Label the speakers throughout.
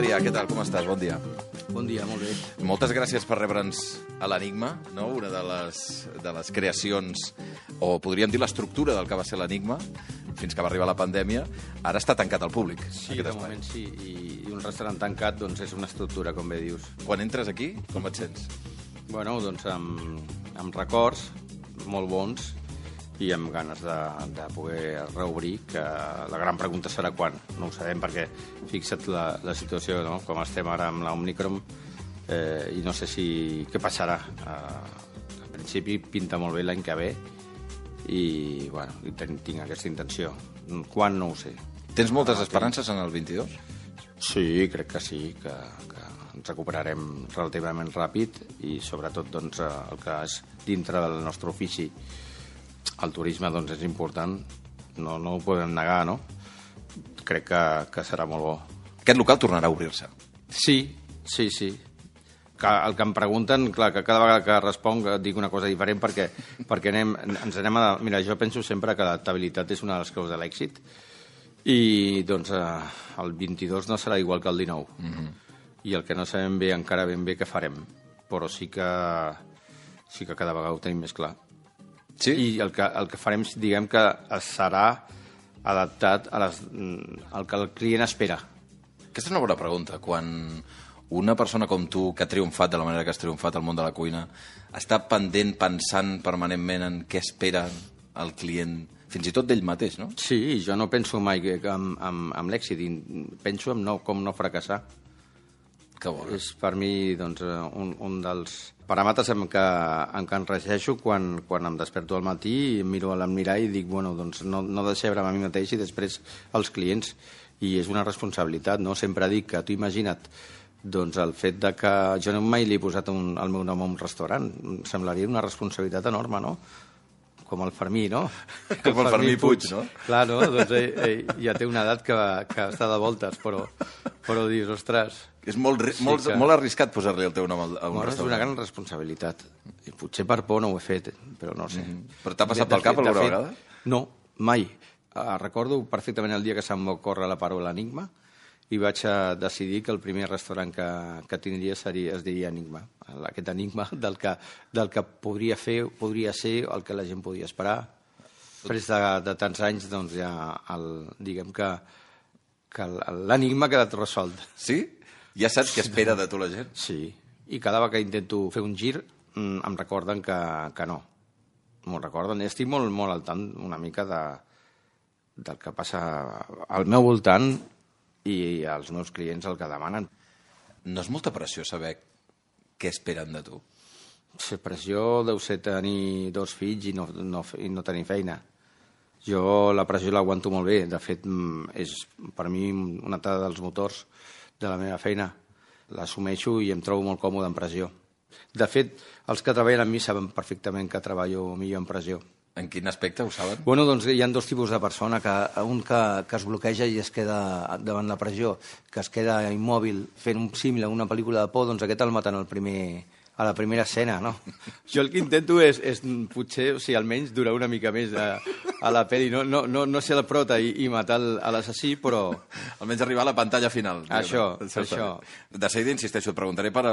Speaker 1: Adrià, què tal? Com estàs? Bon dia.
Speaker 2: Bon dia, molt bé.
Speaker 1: Moltes gràcies per rebre'ns a l'Enigma, no? Una de les creacions, o podríem dir l'estructura del que va ser l'Enigma, fins que va arribar la pandèmia. Ara està tancat al públic.
Speaker 2: Sí, de moment sí, i un restaurant tancat doncs és una estructura, com bé dius.
Speaker 1: Quan entres aquí, com et sents?
Speaker 2: Bueno, doncs amb records molt bons i amb ganes de poder reobrir, que la gran pregunta serà quan. No ho sabem perquè fixa't la situació, no? Com estem ara amb l'Omicron, i no sé què passarà. En principi pinta molt bé l'any que ve i bueno, tinc aquesta intenció. Quan no ho sé.
Speaker 1: Tens moltes esperances en el 22?
Speaker 2: Sí, crec que sí, que ens recuperarem relativament ràpid i sobretot doncs, el que és dintre del nostre ofici. El turisme doncs, és important, no ho podem negar, no? Crec que serà molt bo.
Speaker 1: Aquest local tornarà a obrir-se?
Speaker 2: Sí. El que em pregunten, clar, que cada vegada que responc dic una cosa diferent perquè ens anem a... Mira, jo penso sempre que l'adaptabilitat és una de les claus de l'èxit i doncs el 22 no serà igual que el 19. I el que no sabem bé encara ben bé què farem, però sí que cada vegada ho tenim més clar.
Speaker 1: Sí?
Speaker 2: I el que farem, diguem que serà adaptat al que el client espera.
Speaker 1: Aquesta és una bona pregunta. Quan una persona com tu, que ha triomfat de la manera que has triomfat al món de la cuina, està pendent, pensant permanentment en què espera el client, fins i tot d'ell mateix, no?
Speaker 2: Sí, jo no penso mai en l'èxit, penso en com no fracassar.
Speaker 1: Que bo.
Speaker 2: És per mi doncs, un dels paràmetres en què em regeixo quan em desperto al matí i em miro a l'emmirall i dic, bueno, doncs no decebre'm a mi mateix i després als clients. I és una responsabilitat, no? Sempre dic que tu imagina't doncs, el fet de que jo mai li he posat el meu nom a un restaurant. Em semblaria una responsabilitat enorme, no? Com el Fermí, no?
Speaker 1: Com el Fermí Puig, no?
Speaker 2: Clar, no? Doncs ell ja té una edat que està de voltes, però dius, ostres...
Speaker 1: És molt arriscat posar-li el teu nom a un restaurant.
Speaker 2: És una gran responsabilitat. I potser per por no ho he fet, però no sé.
Speaker 1: Però t'ha passat pel cap alguna vegada?
Speaker 2: No, mai. Recordo perfectament el dia que se'm va córrer la paraula Enigma i vaig decidir que el primer restaurant que tindria es diria Enigma. Aquest enigma del que podria ser el que la gent podia esperar. Després de tants anys, doncs ja diguem que l'enigma ha quedat resolt.
Speaker 1: Sí? Ja saps què espera de tu la gent?
Speaker 2: Sí, i cada vegada que intento fer un gir em recorden que no. M'ho recorden. Estic molt, molt al tant una mica del que passa al meu voltant i als meus clients el que demanen.
Speaker 1: No és molta pressió saber què esperen de tu?
Speaker 2: La pressió deu ser tenir 2 fills i no tenir feina. Jo la pressió l'aguanto molt bé. De fet, és per mi una dels motors de la meva feina. L'assumeixo i em trobo molt còmode en pressió. De fet, els que treballen amb mi saben perfectament que treballo millor en pressió.
Speaker 1: En quin aspecte ho saben?
Speaker 2: Bueno, doncs hi ha 2 tipus de persona, un que es bloqueja i es queda davant la pressió, que es queda immòbil fent un símil a una pel·lícula de por, doncs aquest el maten a la primera escena, no? Jo el que intento és potser, o sigui, almenys durar una mica més a la pel·li, no ser el prota i matar l'assassí, però...
Speaker 1: Almenys arribar a la pantalla final.
Speaker 2: Això.
Speaker 1: De seguida, insisteixo, et preguntaré per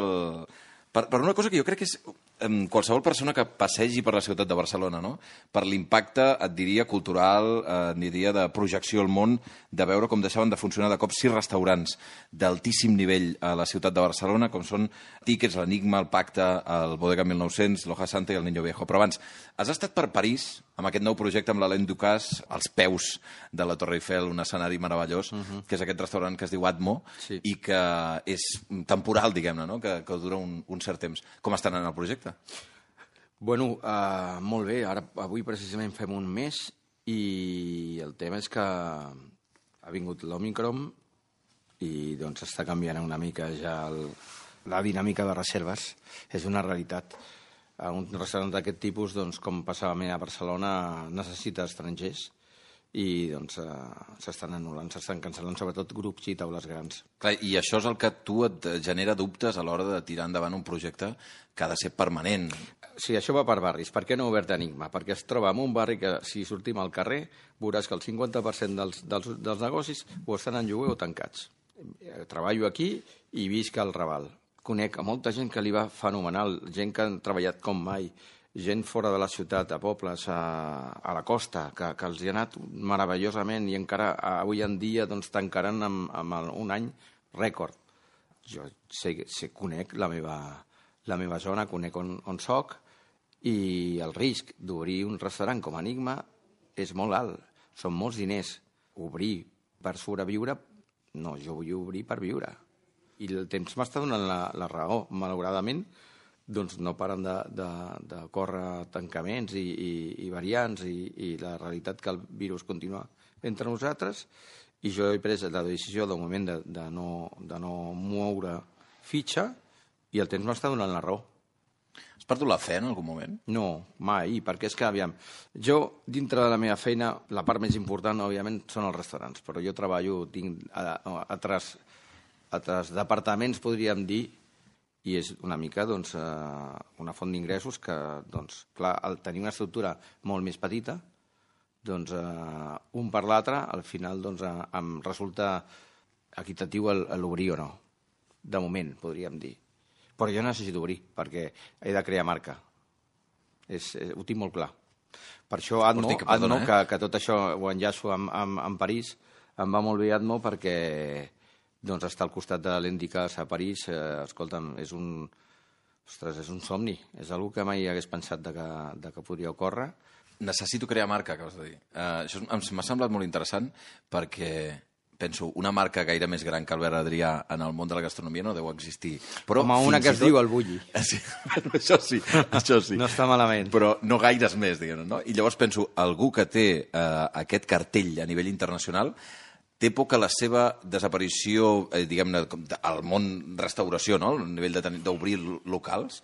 Speaker 1: una cosa que jo crec que és qualsevol persona que passegi per la ciutat de Barcelona, no? Per l'impacte, et diria, cultural, et diria, de projecció al món, de veure com deixaven de funcionar de cop 6 restaurants d'altíssim nivell a la ciutat de Barcelona, com són Tickets, l'Enigma, el Pacte, el Bodega 1900, l'Hoja Santa i el Niño Viejo. Però abans, has estat per París amb aquest nou projecte amb l'Alain Ducasse, als peus de la Torre Eiffel, un escenari meravellós, que és aquest restaurant que es diu Atmo, i que és temporal, diguem-ne, no? Que dura un cert temps. Com estan en el projecte?
Speaker 2: Bueno, molt bé. Avui precisament fem un mes i el tema és que ha vingut l'Omicron i doncs està canviant una mica ja la dinàmica de reserves. És una realitat. Un restaurant d'aquest tipus, doncs, com passava a Barcelona, necessita estrangers i doncs s'estan anul·lant, s'estan cancel·lant sobretot grups i taules grans.
Speaker 1: Clar, i això és el que a tu et genera dubtes a l'hora de tirar endavant un projecte que ha de ser permanent.
Speaker 2: Sí, això va per barris. Per què no ha obert Enigma? Perquè es troba en un barri que, si sortim al carrer, veuràs que el 50% dels negocis o estan en lloguer o tancats. treballo aquí i visc al Raval. Conec a molta gent que li va fenomenal, gent que han treballat com mai, gent fora de la ciutat, a pobles, a la costa, que els hi ha anat meravellosament i encara avui en dia doncs, tancaran amb un any rècord. Jo conec la meva zona, conec on soc, i el risc d'obrir un restaurant com Enigma és molt alt. Són molts diners. Obrir per sobreviure, no, jo vull obrir per viure. I el temps m'està donant la raó. Malauradament, doncs no paren de córrer tancaments i variants i la realitat que el virus continua entre nosaltres, i jo he pres la decisió del moment de no moure fitxa, i el temps m'està donant la raó.
Speaker 1: Has perdut la fe en algun moment?
Speaker 2: No, mai, perquè és que, aviam, jo, dintre de la meva feina, la part més important, òbviament, són els restaurants, però jo treballo, tinc altres departaments, podríem dir, i és una mica, doncs, una font d'ingressos que, doncs, clar, al tenir una estructura molt més petita, doncs, un per l'altre, al final, doncs, em resulta equitatiu l'obrir o no. De moment, podríem dir. Però jo necessito obrir, perquè he de crear marca. Ho tinc molt clar. Per això Atmo, que tot això ho enllaço amb París, em va molt bé Atmo perquè doncs, estar al costat de l'Endicas a París, escolta'm, és un somni. És una que mai hagués pensat que podria ocórrer.
Speaker 1: Necessito crear marca, acabes de dir. Això m'ha semblat molt interessant perquè penso, una marca gaire més gran que Albert Adrià en el món de la gastronomia no deu existir. Però
Speaker 2: home, una que es diu el Bulli.
Speaker 1: Sí, això sí.
Speaker 2: No està malament.
Speaker 1: Però no gaires més, diguem-ne, no? I llavors penso, algú que té aquest cartell a nivell internacional té por que la seva desaparició, diguem-ne, al món restauració, no? A nivell d'obrir locals,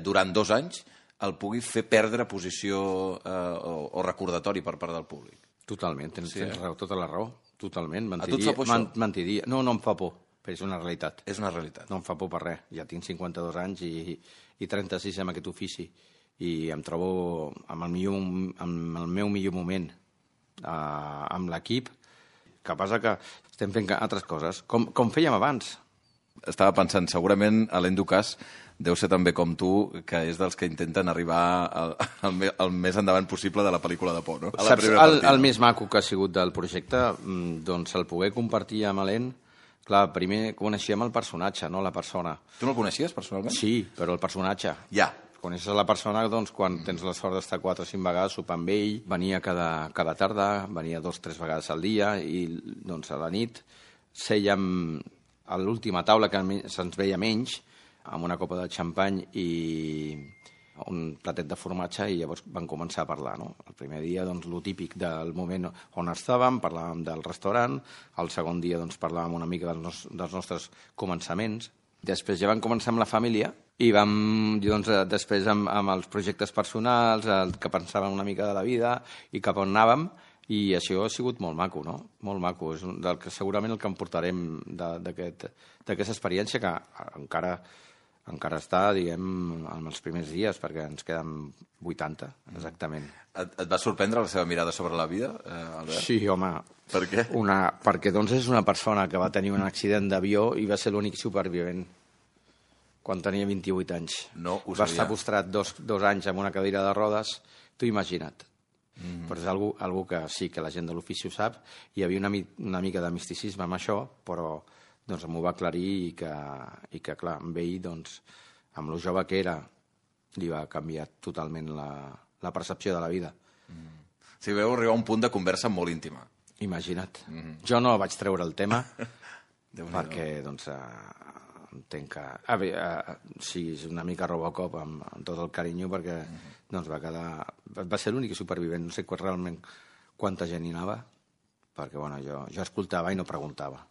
Speaker 1: durant 2 anys, el pugui fer perdre posició o recordatori per part del públic.
Speaker 2: Totalment, tens tota la raó. Totalment, mentiria.
Speaker 1: A tu et fa por això?
Speaker 2: Mentiria. No em fa por, però és una realitat.
Speaker 1: És una realitat.
Speaker 2: No em fa por per res. Ja tinc 52 anys i 36 en aquest ofici. I em trobo amb el meu millor moment amb l'equip. Que passa que estem fent altres coses, com fèiem abans.
Speaker 1: Estava pensant, segurament Alain Ducasse deu ser també com tu, que és dels que intenten arribar al més endavant possible de la pel·lícula de por, no?
Speaker 2: Saps, el més maco que ha sigut del projecte, doncs el poder compartir amb Alain, clar, primer coneixíem el personatge, no la persona.
Speaker 1: Tu no el coneixies personalment?
Speaker 2: Sí, però el personatge.
Speaker 1: Ja.
Speaker 2: Coneixes la persona, doncs, quan tens la sort d'estar 4 o 5 vegades sopar amb ell, venia cada tarda, venia 2 o 3 vegades al dia, i doncs a la nit sèiem a l'última taula, que se'ns veia menys, amb una copa de xampany i un platet de formatge, i llavors van començar a parlar, no? El primer dia, doncs, lo típic del moment on estàvem, parlàvem del restaurant, el segon dia, doncs, parlàvem una mica dels nostres començaments, després ja vam començar amb la família, i vam, doncs, després amb els projectes personals, el que pensàvem una mica de la vida i cap on anàvem, i això ha sigut molt maco, no? Molt maco. És segurament el que em portarem d'aquesta experiència, que encara està, diguem, en els primers dies, perquè ens queden 80, exactament.
Speaker 1: Et va sorprendre la seva mirada sobre la vida, Albert?
Speaker 2: Sí, home.
Speaker 1: Per què?
Speaker 2: Perquè, doncs, és una persona que va tenir un accident d'avió i va ser l'únic supervivent quan tenia 28 anys.
Speaker 1: No ho sabia.
Speaker 2: Va estar postrat 2 anys amb una cadira de rodes, t'ho imagina't. Però és algú que sí que la gent de l'ofici ho sap. Hi havia una mica de misticisme amb això, però doncs m'ho va aclarir i que clar, amb ell, doncs, amb lo jove que era, li va canviar totalment la percepció de la vida.
Speaker 1: Sí, veu arribar a un punt de conversa molt íntima.
Speaker 2: Imagina't. Jo no vaig treure el tema perquè, doncs, entenc que... sí, és una mica Robocop amb tot el carinyo, perquè doncs, va ser l'únic supervivent. No sé realment quanta gent hi anava, perquè bueno, jo escoltava i no preguntava.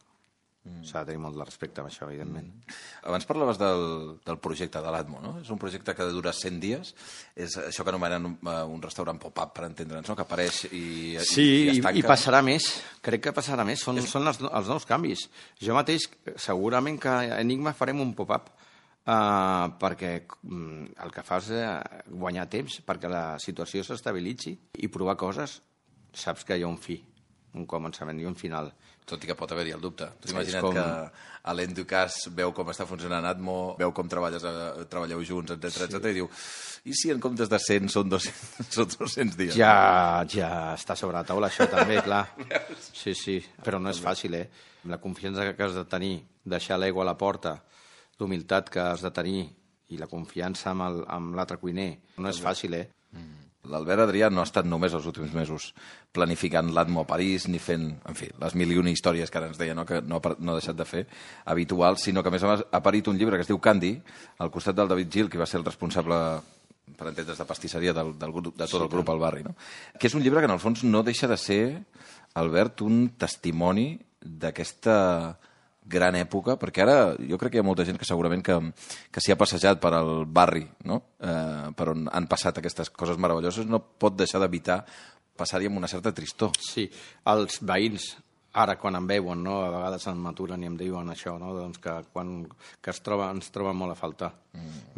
Speaker 2: S'ha de tenir molt de respecte amb això, evidentment.
Speaker 1: Abans parlaves del projecte de l'Atmo, no? És un projecte que dura 100 dies. És això que anomenen un restaurant pop-up, per entendre'ns, no? Que apareix i es tanca.
Speaker 2: I passarà més. Crec que passarà més. Són els nous canvis. Jo mateix, segurament que a Enigma farem un pop-up perquè el que fa és guanyar temps, perquè la situació s'estabilitzi i provar coses. Saps que hi ha un fi un començament i un final.
Speaker 1: Tot i que pot haver-hi el dubte. Tu
Speaker 2: És
Speaker 1: imagina't
Speaker 2: com-
Speaker 1: que Alain Ducasse veu com està funcionant Atmo, veu com treballeu junts, etc i diu, i si en comptes de 100 són 200, són 200 dies?
Speaker 2: Ja està sobre la taula, això també, clar. Sí, però no és fàcil, La confiança que has de tenir, deixar l'ego a la porta, l'humilitat que has de tenir i la confiança amb l'altre cuiner, no és fàcil,
Speaker 1: L'Albert Adrià no ha estat només els últims mesos planificant l'Atmo a París, ni fent, en fi, les 1001 històries que ara ens deia, no? Que no ha deixat de fer, habituals, sinó que a més a més ha parit un llibre que es diu Candy, al costat del David Gil, que va ser el responsable, per entendre's, de pastisseria de tot el grup al barri, no? Que és un llibre que en el fons no deixa de ser, Albert, un testimoni d'aquesta gran època, perquè ara jo crec que hi ha molta gent que segurament que s'hi ha passejat per al barri, no? Per on han passat aquestes coses meravelloses, no pot deixar d'evitar passar-hi amb una certa tristor.
Speaker 2: Sí, els veïns, ara quan em veuen, no? A vegades em maturen i em diuen això, no? Doncs que ens troben molt a faltar.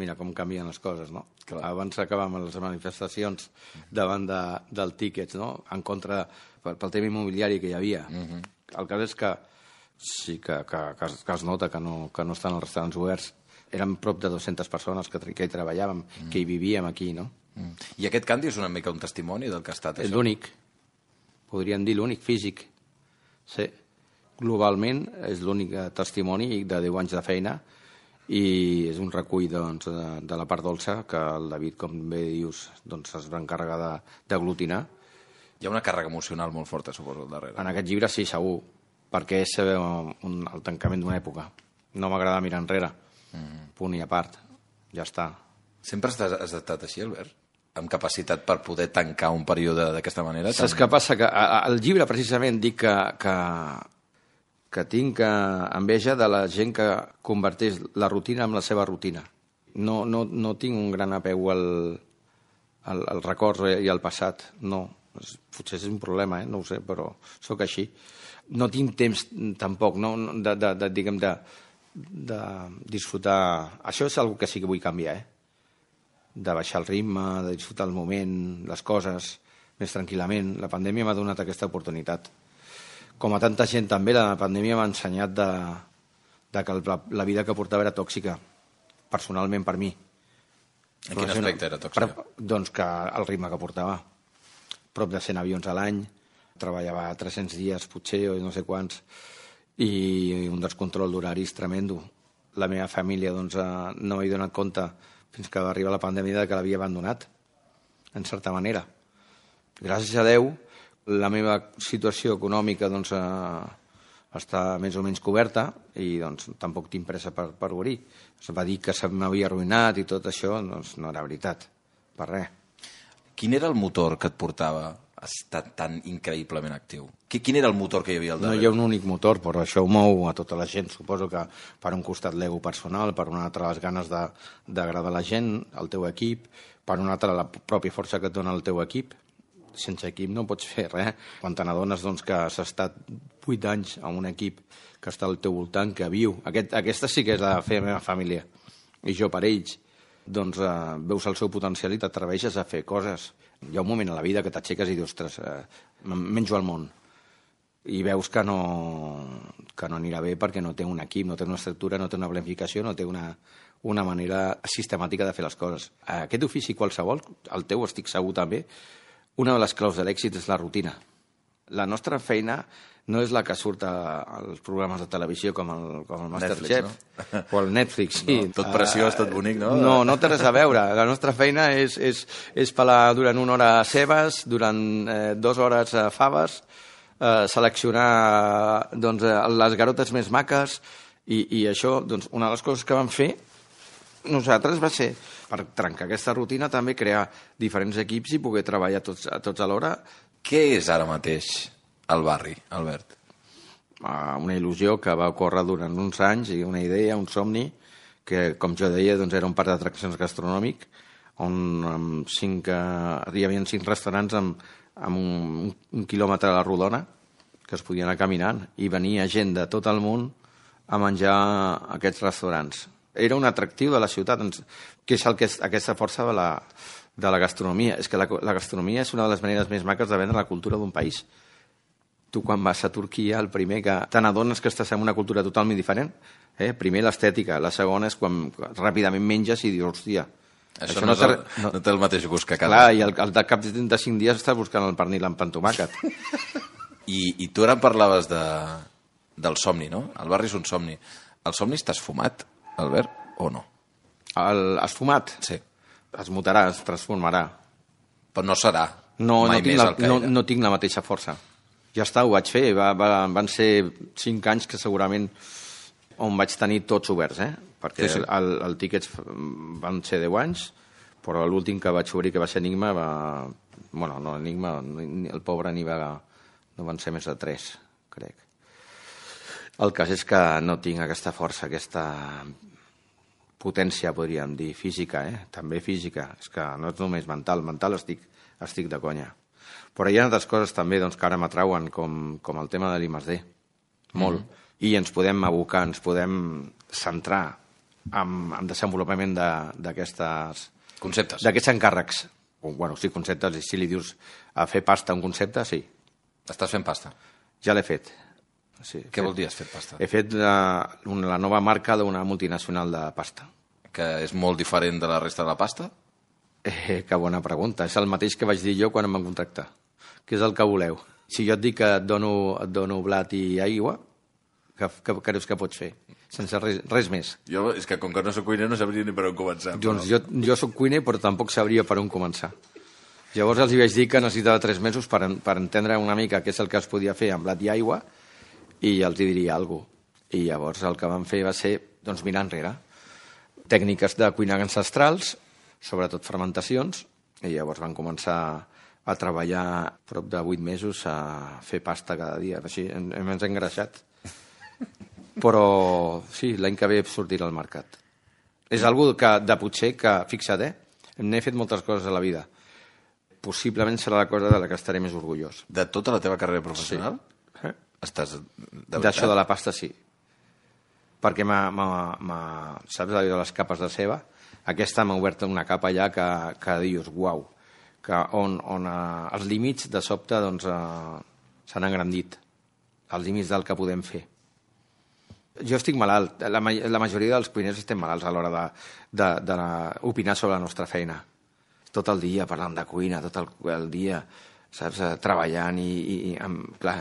Speaker 2: Mira com canvien les coses, no?
Speaker 1: Clar.
Speaker 2: Abans acabàvem les manifestacions davant del tíquets, no? En contra pel tema immobiliari que hi havia. El cas és que sí que es nota que no estan els restaurants oberts. Eren prop de 200 persones que hi treballàvem, que hi vivíem aquí, no?
Speaker 1: I aquest Candy és una mica un testimoni del que ha estat
Speaker 2: És
Speaker 1: això?
Speaker 2: l'únic, podríem dir l'únic físic. Sí, globalment és l'únic testimoni de 10 anys de feina i és un recull doncs, de la part dolça que el David, com bé dius, doncs, es va encarregar d'aglutinar.
Speaker 1: Hi ha una càrrega emocional molt forta, suposo, al darrere.
Speaker 2: En aquest llibre sí, segur, perquè és el tancament d'una època. No m'agrada mirar enrere, punt i a part, ja està.
Speaker 1: Sempre has estat així, Albert? Amb capacitat per poder tancar un període d'aquesta manera?
Speaker 2: Saps què passa? Que al llibre precisament dic que tinc enveja de la gent que converteix la rutina en la seva rutina. No tinc un gran apeu al record i al passat, no. Potser és un problema, no ho sé, però sóc així. No tinc temps tampoc de disfrutar. Això és una cosa que sí que vull canviar, de baixar el ritme, de disfrutar el moment, les coses, més tranquil·lament. La pandèmia m'ha donat aquesta oportunitat. Com a tanta gent també, la pandèmia m'ha ensenyat que la vida que portava era tòxica, personalment per mi.
Speaker 1: En quin aspecte era tòxica?
Speaker 2: Doncs que el ritme que portava. Prop de 100 avions a l'any, treballava 300 dies potser o no sé quants, i un descontrol d'horaris tremendo. La meva família doncs, no m'he donat compte fins que va arribar la pandèmia que l'havia abandonat, en certa manera. Gràcies a Déu, la meva situació econòmica doncs, està més o menys coberta i doncs, tampoc tinc pressa per obrir. Es va dir que se m'havia arruïnat i tot això, doncs no era veritat, per res.
Speaker 1: Quin era el motor que et portava a estar tan increïblement actiu? Quin era el motor que hi havia al darrere?
Speaker 2: No hi ha un únic motor, però això ho mou a tota la gent. Suposo que per un costat l'ego personal, per un altre les ganes d'agradar a la gent, al teu equip, per un altre la pròpia força que et dona el teu equip. Sense equip no pots fer res. Quan te n'adones doncs, que has estat 8 anys en un equip que està al teu voltant, que viu. Aquesta sí que és la meva família. I jo per ells. Doncs veus el seu potencial i t'atreveixes a fer coses. Hi ha un moment a la vida que t'aixeques i dius, ostres, menjo al món. I veus que no anirà bé perquè no té un equip, no té una estructura, no té una planificació, no té una manera sistemàtica de fer les coses. Aquest ofici qualsevol, el teu estic segur també, una de les claus de l'èxit és la rutina. La nostra feina no és la que surt als programes de televisió com el Masterchef o el Netflix. Sí.
Speaker 1: No, tot preciós, tot bonic, no?
Speaker 2: No té res a veure. La nostra feina és pelar durant 1 hora cebes, durant 2 hores faves, seleccionar doncs, les garotes més maques i això, doncs, una de les coses que vam fer nosaltres va ser, per trencar aquesta rutina, també crear diferents equips i poder treballar tots alhora.
Speaker 1: Què és ara mateix el barri, Albert?
Speaker 2: Una il·lusió que va ocórrer durant uns anys i una idea, un somni, que, com jo deia, doncs era un parc d'atraccions gastronòmic on hi havia 5 restaurants amb un quilòmetre a la rodona que es podien anar caminant i venia gent de tot el món a menjar a aquests restaurants. Era un atractiu de la ciutat, que és aquesta força de la gastronomia. És que la gastronomia és una de les maneres més maques de vendre la cultura d'un país. Tu quan vas a Turquia, el primer que te n'adones que estàs en una cultura totalment diferent. Primer l'estètica, la segona és quan ràpidament menges i dius, hòstia...
Speaker 1: Això no té el mateix gust que a casa.
Speaker 2: Clar, i al cap de 5 dies estàs buscant el pernil amb pa amb tomàquet.
Speaker 1: I tu ara em parlaves del somni, no? El barri és un somni. El somni estàs fumat, Albert, o no?
Speaker 2: Has fumat?
Speaker 1: Sí.
Speaker 2: Es mutarà, es transformarà.
Speaker 1: Però no serà
Speaker 2: mai més el que era. No tinc la mateixa força. Ja està, ho vaig fer. Van ser 5 anys que segurament on vaig tenir tots oberts, perquè sí. El Tickets van ser 10 anys, però l'últim que vaig obrir, que va ser Enigma, Bueno, no, Enigma, el pobre no van ser més de 3, crec. El cas és que no tinc aquesta força, aquesta potència, podríem dir, física, també física. És que no és només mental estic de conya. Però hi ha altres coses també que ara m'atrauen, com el tema de l'I+D, molt. I ens podem abocar, ens podem centrar en desenvolupament d'aquests
Speaker 1: conceptes.
Speaker 2: D'aquests encàrrecs. Bueno, sí, conceptes, si li dius a fer pasta un concepte, sí.
Speaker 1: Estàs fent pasta?
Speaker 2: Ja l'he fet. Sí,
Speaker 1: què vol dir has fet pasta?
Speaker 2: He fet la nova marca d'una multinacional de pasta.
Speaker 1: Que és molt diferent de la resta de la pasta?
Speaker 2: Que bona pregunta. És el mateix que vaig dir jo quan em van contractar. Què és el que voleu? Si jo et dic que et dono blat i aigua, què creus que pots fer? Sense res més.
Speaker 1: Jo, és que com que no soc cuiner no sabria ni per on començar.
Speaker 2: Doncs jo soc cuiner però tampoc sabria per on començar. Llavors els vaig dir que necessitava 3 mesos per entendre una mica què és el que es podia fer amb blat i aigua i els diria alguna cosa. I llavors el que vam fer va ser mirar enrere. Tècniques de cuina ancestrals, sobretot fermentacions, i llavors van començar a treballar prop de 8 mesos a fer pasta cada dia. Així hem engreixat. Però sí, l'any que ve sortirà al mercat. És algo de potser que, fixa't, n'he fet moltes coses a la vida. Possiblement serà la cosa de la que estaré més orgullós.
Speaker 1: De tota la teva carrera professional?
Speaker 2: Sí.
Speaker 1: Estàs
Speaker 2: d'això de la pasta, sí. Perquè saps allò de les capes de ceba? Aquesta m'ha obert una capa allà que dius, uau, on els límits de sobte s'han engrandit, els límits del que podem fer. Jo estic malalt, la majoria dels cuiners estem malalts a l'hora d'opinar sobre la nostra feina. Tot el dia parlant de cuina, tot el dia, saps, treballant i clar,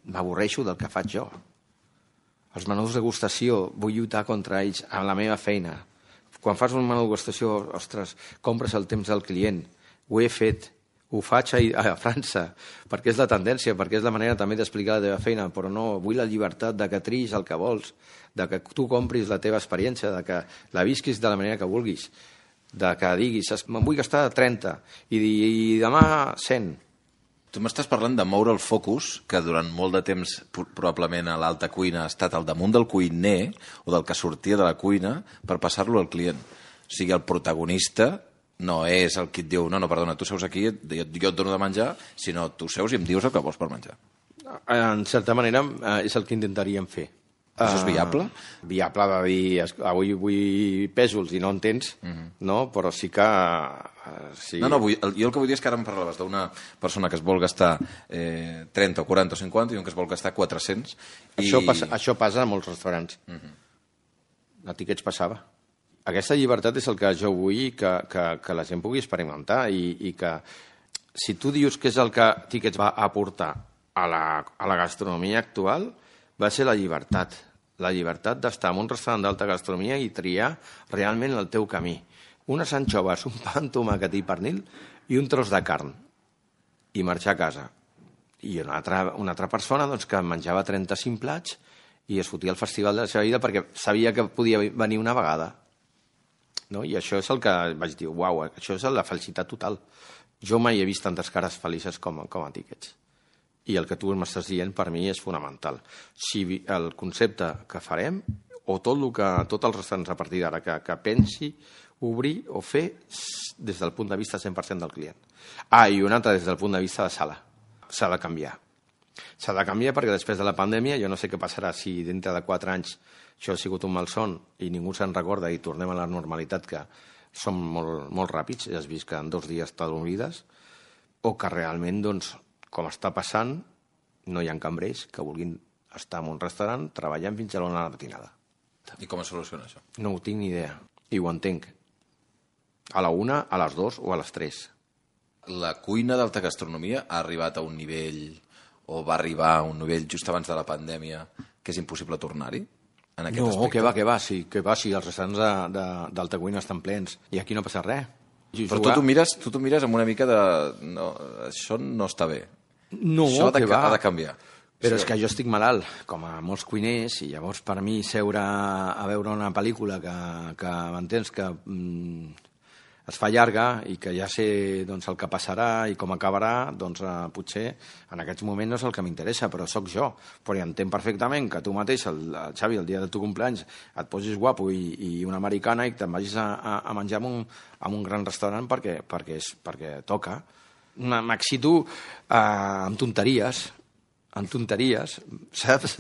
Speaker 2: m'avorreixo del que faig jo. Els menús de degustació, vull lluitar contra ells amb la meva feina. Quan fas un menú de degustació, ostres, compres el temps del client. Ho he fet, ho faig a França, perquè és la tendència, perquè és la manera també d'explicar la teva feina, però no, vull la llibertat de que triïs el que vols, de que tu compris la teva experiència, de que la visquis de la manera que vulguis, de que diguis, me'n vull gastar 30 i demà 100.
Speaker 1: Tu m'estàs parlant de moure el focus, que durant molt de temps probablement a l'alta cuina ha estat al damunt del cuiner o del que sortia de la cuina per passar-lo al client. O sigui, el protagonista no és el que et diu, no, perdona, tu seus aquí, jo et dono de menjar, sinó tu seus i em dius el que vols per menjar.
Speaker 2: En certa manera és el que intentaríem fer.
Speaker 1: Això és viable?
Speaker 2: Viable de dir, avui vull pèsols i no en tens, no? Però sí que... Sí.
Speaker 1: No, jo el que vull dir és que ara em parlaves d'una persona que es vol gastar 30 o 40 o 50 i un que es vol gastar 400.
Speaker 2: Això passa a molts restaurants. A Tickets passava. Aquesta llibertat és el que jo vull que la gent pugui experimentar i que si tu dius que és el que Tickets va aportar a la gastronomia actual, va ser la llibertat d'estar en un restaurant d'alta gastronomia i triar realment el teu camí. Unes anxoves, un pa amb tomàquet i pernil i un tros de carn i marxar a casa. I una altra persona que menjava 35 plats i es fotia al festival de la seva vida perquè sabia que podia venir una vegada. No? I això és el que vaig dir, uau, això és la felicitat total. Jo mai he vist tantes cares felices com a Tickets. I el que tu m'estàs dient per mi és fonamental. Si el concepte que farem, o tots els restaurants a partir d'ara que pensi obrir o fer des del punt de vista 100% del client. I un altre des del punt de vista de sala. S'ha de canviar. S'ha de canviar perquè després de la pandèmia, jo no sé què passarà si dintre de 4 anys això ha sigut un malson i ningú se'n recorda i tornem a la normalitat, que som molt ràpids, ja has vist que en 2 dies t'oblides, o que realment, com està passant, no hi ha cambrers que vulguin estar en un restaurant treballant fins a l'1 de la matinada.
Speaker 1: I com es soluciona això?
Speaker 2: No ho tinc ni idea. I ho entenc. A la 1, a les 2 o a les 3.
Speaker 1: La cuina d'alta gastronomia ha arribat a un nivell, o va arribar a un nivell just abans de la pandèmia, que és impossible tornar-hi? En aquest aspecte?
Speaker 2: Que va, sí, els restaurants d'alta cuina estan plens i aquí no passa res.
Speaker 1: Però tu t'ho mires amb una mica de... No, això no està bé.
Speaker 2: No,
Speaker 1: això
Speaker 2: que va.
Speaker 1: Ha de canviar.
Speaker 2: Però és que jo estic malalt, com a molts cuiners, i llavors per mi seure a veure una pel·lícula que m'entens que es fa llarga i que ja sé doncs, el que passarà i com acabarà, doncs potser en aquests moments no és el que m'interessa, però sóc jo. Però entenc perfectament que tu mateix, el Xavi, el dia de tu cumpleaños, et posis guapo i una americana i te'n vagis a menjar en un gran restaurant perquè toca. M'excito amb tonteries, saps?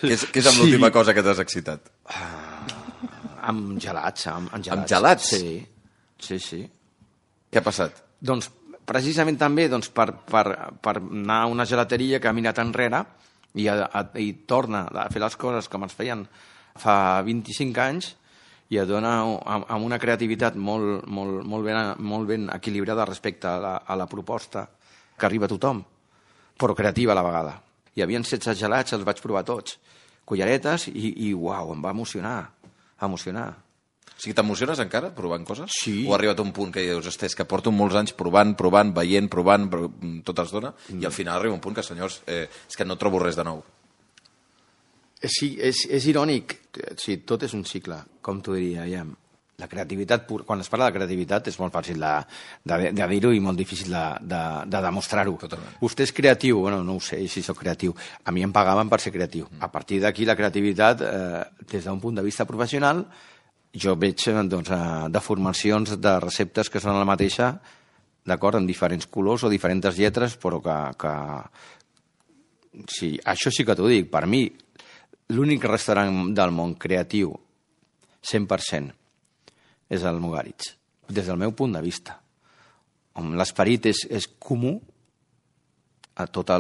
Speaker 1: Què és amb l'última cosa que t'has excitat?
Speaker 2: Amb gelats. Amb
Speaker 1: gelats?
Speaker 2: Sí.
Speaker 1: Què ha passat?
Speaker 2: Doncs precisament també per anar a una gelateria que ha mirat enrere i torna a fer les coses com es feien fa 25 anys i et dona amb una creativitat molt ben equilibrada respecte a la proposta que arriba a tothom, però creativa a la vegada. Hi havia 16 gelats, els vaig provar tots. Culleretes i uau, em va emocionar.
Speaker 1: O sigui, t'emociones encara provant coses?
Speaker 2: Sí.
Speaker 1: O ha arribat a un punt que dius, és que porto molts anys provant, veient, tot es dona, i al final arriba un punt que, senyors, és que no trobo res de nou.
Speaker 2: Sí, és irònic. Sí, tot és un cicle, com t'ho diria, ja. La creativitat, quan es parla de creativitat, és molt fàcil de dir-ho i molt difícil de demostrar-ho.
Speaker 1: Totalment.
Speaker 2: Vostè és creatiu? Bueno, no ho sé si sóc creatiu. A mi em pagaven per ser creatiu. A partir d'aquí, la creativitat, des d'un punt de vista professional, jo veig deformacions de receptes que són la mateixa, d'acord, en diferents colors o diferents lletres, però que sí, això sí que t'ho dic. Per mi, l'únic restaurant del món creatiu 100% és el Mugaritz, des del meu punt de vista. L'esperit és comú a tot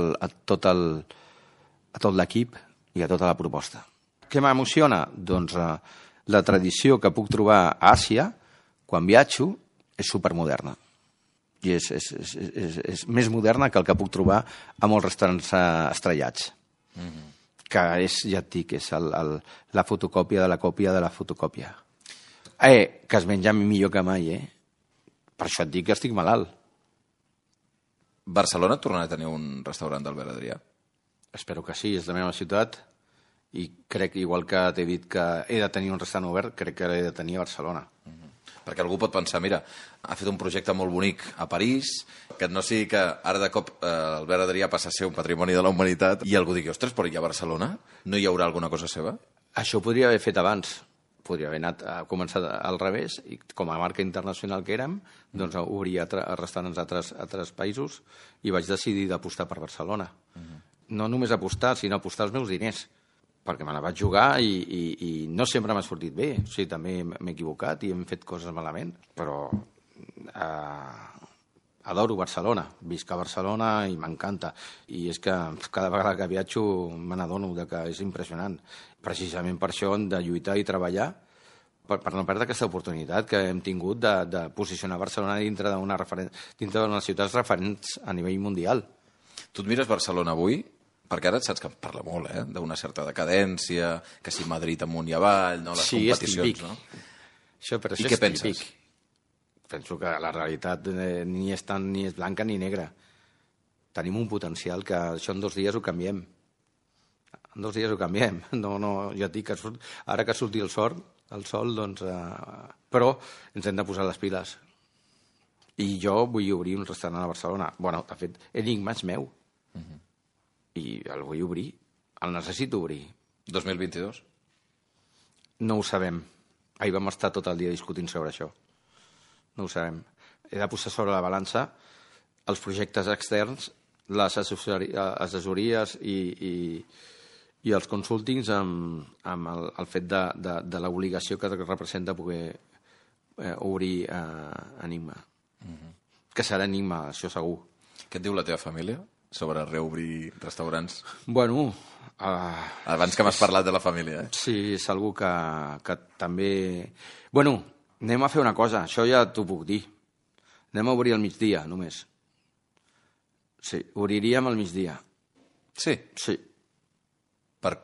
Speaker 2: l'equip i a tota la proposta. Què m'emociona? Doncs la tradició que puc trobar a Àsia, quan viatjo, és supermoderna. I és més moderna que el que puc trobar a molts restaurants estrellats. Que és, ja et dic, és la fotocòpia de la còpia de la fotocòpia. Que es menja millor que mai, Per això et dic que estic malalt.
Speaker 1: Barcelona tornarà a tenir un restaurant d'Albert Adrià?
Speaker 2: Espero que sí, és la meva ciutat i crec, igual que t'he dit que he de tenir un restaurant obert, crec que l'he de tenir a Barcelona.
Speaker 1: Perquè algú pot pensar, mira, ha fet un projecte molt bonic a París, que no sigui que ara de cop Albert Adrià passa a ser un patrimoni de la humanitat i algú digui, ostres, però hi ha Barcelona? No hi haurà alguna cosa seva?
Speaker 2: Això ho podria haver fet abans. Podria haver començat al revés i com a marca internacional que érem, doncs obrir restaurants a altres països i vaig decidir d'apostar per Barcelona. No només apostar, sinó apostar els meus diners, perquè me la vaig jugar i no sempre m'ha sortit bé. O sigui, també m'he equivocat i hem fet coses malament, però adoro Barcelona, visc a Barcelona i m'encanta. I és que cada vegada que viatjo me n'adono que és impressionant. Precisament per això hem de lluitar i treballar per no perdre aquesta oportunitat que hem tingut de posicionar Barcelona dintre d'unes ciutats referents a nivell mundial.
Speaker 1: Tu et mires Barcelona avui, perquè ara saps que parla molt, d'una certa decadència, que si Madrid amunt i avall, no? Les competicions, no? I què penses?
Speaker 2: Penso que la realitat ni és blanca ni negra. Tenim un potencial que això en 2 dies ho canviem. En 2 dies ho canviem. No, ja et dic que ara que surti el sol, doncs... Però ens hem de posar les piles. I jo vull obrir un restaurant a Barcelona. Bueno, de fet, Enigma és meu. I el vull obrir. El necessito obrir.
Speaker 1: 2022?
Speaker 2: No ho sabem. Ahir vam estar tot el dia discutint sobre això. No ho sabem. He de posar sobre la balança els projectes externs, les assessories i els consultings amb el fet de l'obligació que representa poder obrir Enigma. Que serà Enigma, això segur.
Speaker 1: Què et diu la teva família? sobre reobrir restaurants?
Speaker 2: Bueno...
Speaker 1: Abans que m'has parlat de la família, eh?
Speaker 2: Sí, és algú que també... Bueno, anem a fer una cosa, això ja t'ho puc dir. Anem a obrir al migdia, només. Sí, obriríem al migdia.
Speaker 1: Sí?
Speaker 2: Sí.
Speaker 1: Per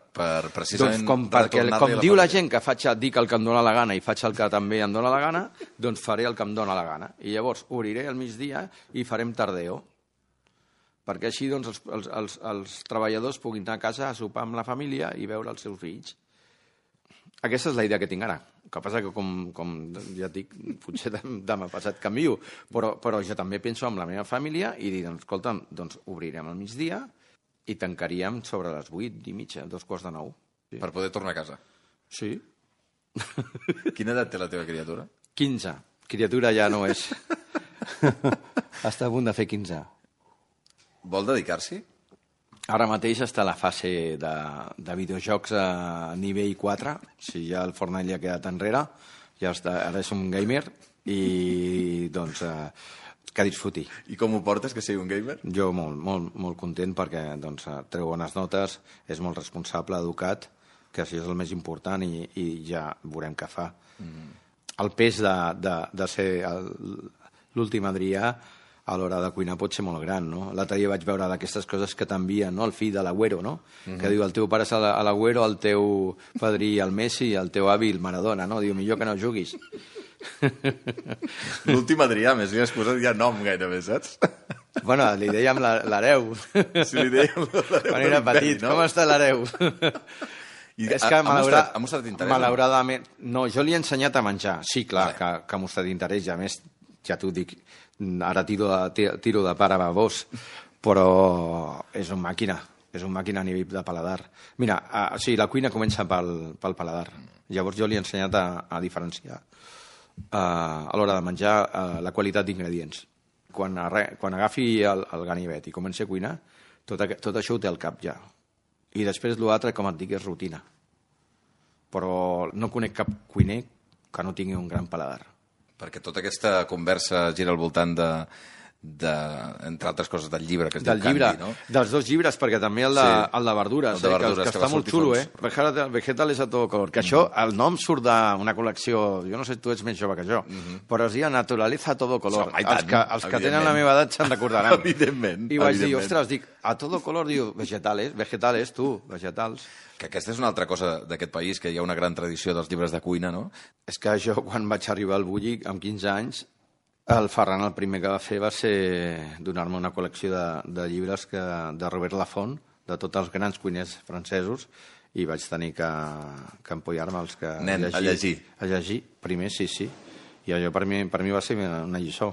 Speaker 1: precisament...
Speaker 2: Doncs com diu la gent que dic el que em dóna la gana i faig el que també em dóna la gana, doncs faré el que em dóna la gana. I llavors obriré al migdia i farem tardeo. Perquè així doncs, els treballadors puguin anar a casa a sopar amb la família i veure els seus fills. Aquesta és la idea que tinc ara. El que passa que, com ja et dic, potser demà passat canvio, però jo també penso en la meva família i dic, escolta, doncs obrirem al migdia i tancaríem sobre les 8:30, 8:45. Sí.
Speaker 1: Per poder tornar a casa.
Speaker 2: Sí.
Speaker 1: Quina edat té la teva criatura?
Speaker 2: 15. Criatura ja no és. Està a punt de fer 15.
Speaker 1: Vol dedicar-s'hi?
Speaker 2: Ara mateix està a la fase de videojocs a nivell 4. Si ja el Fortnite ja ha quedat enrere, ja està, ara és un gamer i doncs que disfruti.
Speaker 1: I com ho portes, que sigui un gamer?
Speaker 2: Jo molt content perquè doncs, treu bones notes, és molt responsable, educat, que això és el més important i ja veurem què fa. El pes de ser l'últim Adrià a l'hora de cuinar pot ser molt gran, no? L'altre dia vaig veure d'aquestes coses que t'envien, no? El fill de l'Agüero, no? Que diu, el teu pare és l'Agüero, el teu padrí el Messi, el teu avi el Maradona, no? Diu, millor que no juguis.
Speaker 1: L'últim Adrià, més li has posat ja nom gairebé, saps?
Speaker 2: Bueno, li dèiem l'hereu.
Speaker 1: Sí, li dèiem l'hereu.
Speaker 2: Quan era petit, no? Com està l'hereu? És que
Speaker 1: ha mostrat interès?
Speaker 2: Malauradament... No, jo li he ensenyat a menjar. Sí, clar, que ha mostrat interès, i a més, ja t'ho dic, ara tiro de pare babós, però és una màquina a nivell de paladar. Mira, sí, la cuina comença pel paladar. Llavors jo li he ensenyat a diferenciar a l'hora de menjar la qualitat d'ingredients. Quan agafi el ganivet i comenci a cuinar, tot això ho té al cap ja. I després l'altre, com et dic, és rutina. Però no conec cap cuiner que no tingui un gran paladar.
Speaker 1: Perquè tota aquesta conversa gira al voltant entre altres coses, del llibre que es diu Candy, no?
Speaker 2: Dels dos llibres, perquè també el de verdures, que està molt xulo, Vegetales a todo color. Que això, el nom surt d'una col·lecció, jo no sé, tu ets més jove que jo, però es diu Naturaleza a todo color. Els que tenen la meva edat se'n recordaran.
Speaker 1: Evidentment.
Speaker 2: I vaig dir, ostres, a todo color, diu, vegetales, vegetals.
Speaker 1: Que aquesta és una altra cosa d'aquest país, que hi ha una gran tradició dels llibres de cuina, no?
Speaker 2: És que jo, quan vaig arribar al Bulli, amb 15 anys, el Ferran el primer que va fer va ser donar-me una col·lecció de llibres de Robert Laffont, de tots els grans cuiners francesos, i vaig tenir que empollar-me
Speaker 1: a llegir.
Speaker 2: A llegir, primer, sí. I allò per mi va ser una lliçó.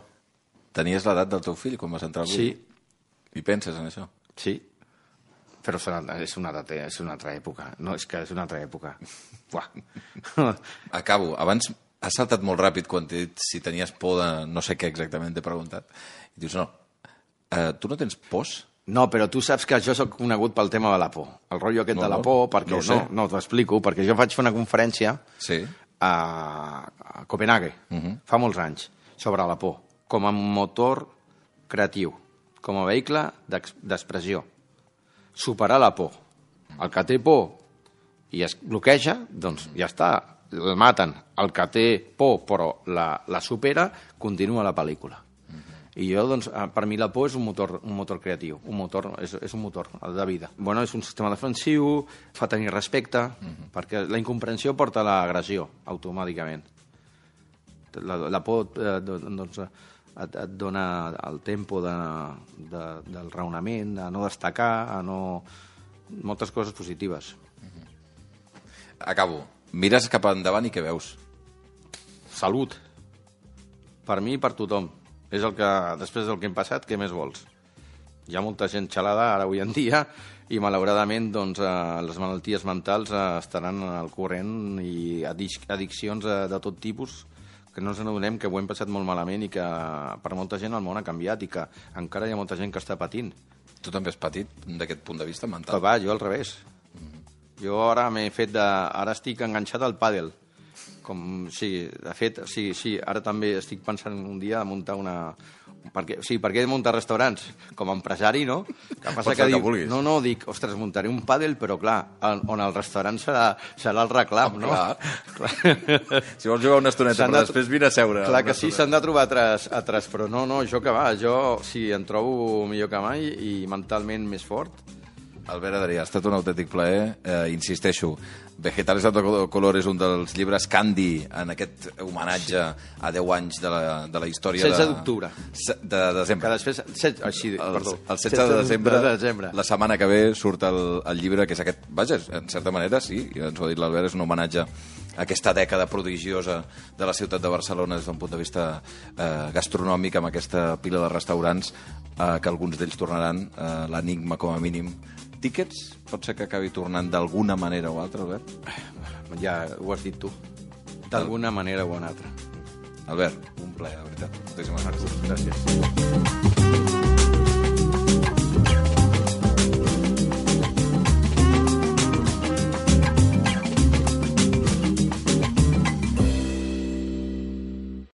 Speaker 1: Tenies l'edat del teu fill quan vas entrar al Bulli?
Speaker 2: Sí.
Speaker 1: I penses en això?
Speaker 2: Sí. Però és una altra època. No, és que és una altra època.
Speaker 1: Acabo. Abans has saltat molt ràpid quan t'he dit si tenies por de no sé què exactament, t'he preguntat. I dius, no. Tu no tens pors?
Speaker 2: No, però tu saps que jo soc conegut pel tema de la por. El rotllo aquest de la por, perquè no t'ho explico, perquè jo vaig fer una conferència a Copenhague, fa molts anys, sobre la por, com a motor creatiu, com a vehicle d'expressió. Superar la por. El que té por i es bloqueja, doncs ja està, el maten. El que té por però la supera, continua la pel·lícula. I jo, doncs, per mi la por és un motor creatiu, és un motor de vida. Bueno, és un sistema defensiu, fa tenir respecte, perquè la incomprensió porta a l'agressió, automàticament. La por, doncs, et dona el tempo del raonament, a no destacar, moltes coses positives.
Speaker 1: Acabo. Mires cap endavant i què veus?
Speaker 2: Salut. Per mi i per tothom. És després del que hem passat, què més vols? Hi ha molta gent xalada ara avui en dia i malauradament doncs, les malalties mentals estaran al corrent i addiccions de tot tipus que no ens adonem que ho hem passat molt malament i que per molta gent el món ha canviat i que encara hi ha molta gent que està patint.
Speaker 1: Tu també has patit d'aquest punt de vista mental?
Speaker 2: Però jo al revés. Jo ara ara estic enganxat al pàdel. De fet, ara també estic pensant un dia a muntar perquè he de muntar restaurants com a empresari, no? Que passa
Speaker 1: Pots fer el que vulguis.
Speaker 2: No, dic, ostres, muntaré un pàdel, però clar, on el restaurant serà el reclam, no?
Speaker 1: Clar. Si vols jugar una estoneta, però després vine a seure.
Speaker 2: Clar que sí, s'han de trobar altres, però no, jo que va, jo sí, em trobo millor que mai i mentalment més fort.
Speaker 1: Albert Adrià, ha estat un autèntic plaer. Insisteixo, Vegetales a todo color és un dels llibres Candy en aquest homenatge a 10 anys de la història
Speaker 2: 16 d'octubre.
Speaker 1: De desembre.
Speaker 2: Que després... Perdó.
Speaker 1: El 16 de desembre, la setmana que ve, surt el llibre, que és aquest... Vaja, en certa manera, sí, ens ho ha dit l'Albert, és un homenatge a aquesta dècada prodigiosa de la ciutat de Barcelona des d'un punt de vista gastronòmic, amb aquesta pila de restaurants que alguns d'ells tornaran, l'Enigma com a mínim. Tíquets? Pot ser que acabi tornant d'alguna manera o altra, Albert?
Speaker 2: Ja ho has dit tu. D'alguna manera o una altra.
Speaker 1: Albert, un plaer, de veritat. Moltíssimes gràcies.
Speaker 2: Gràcies.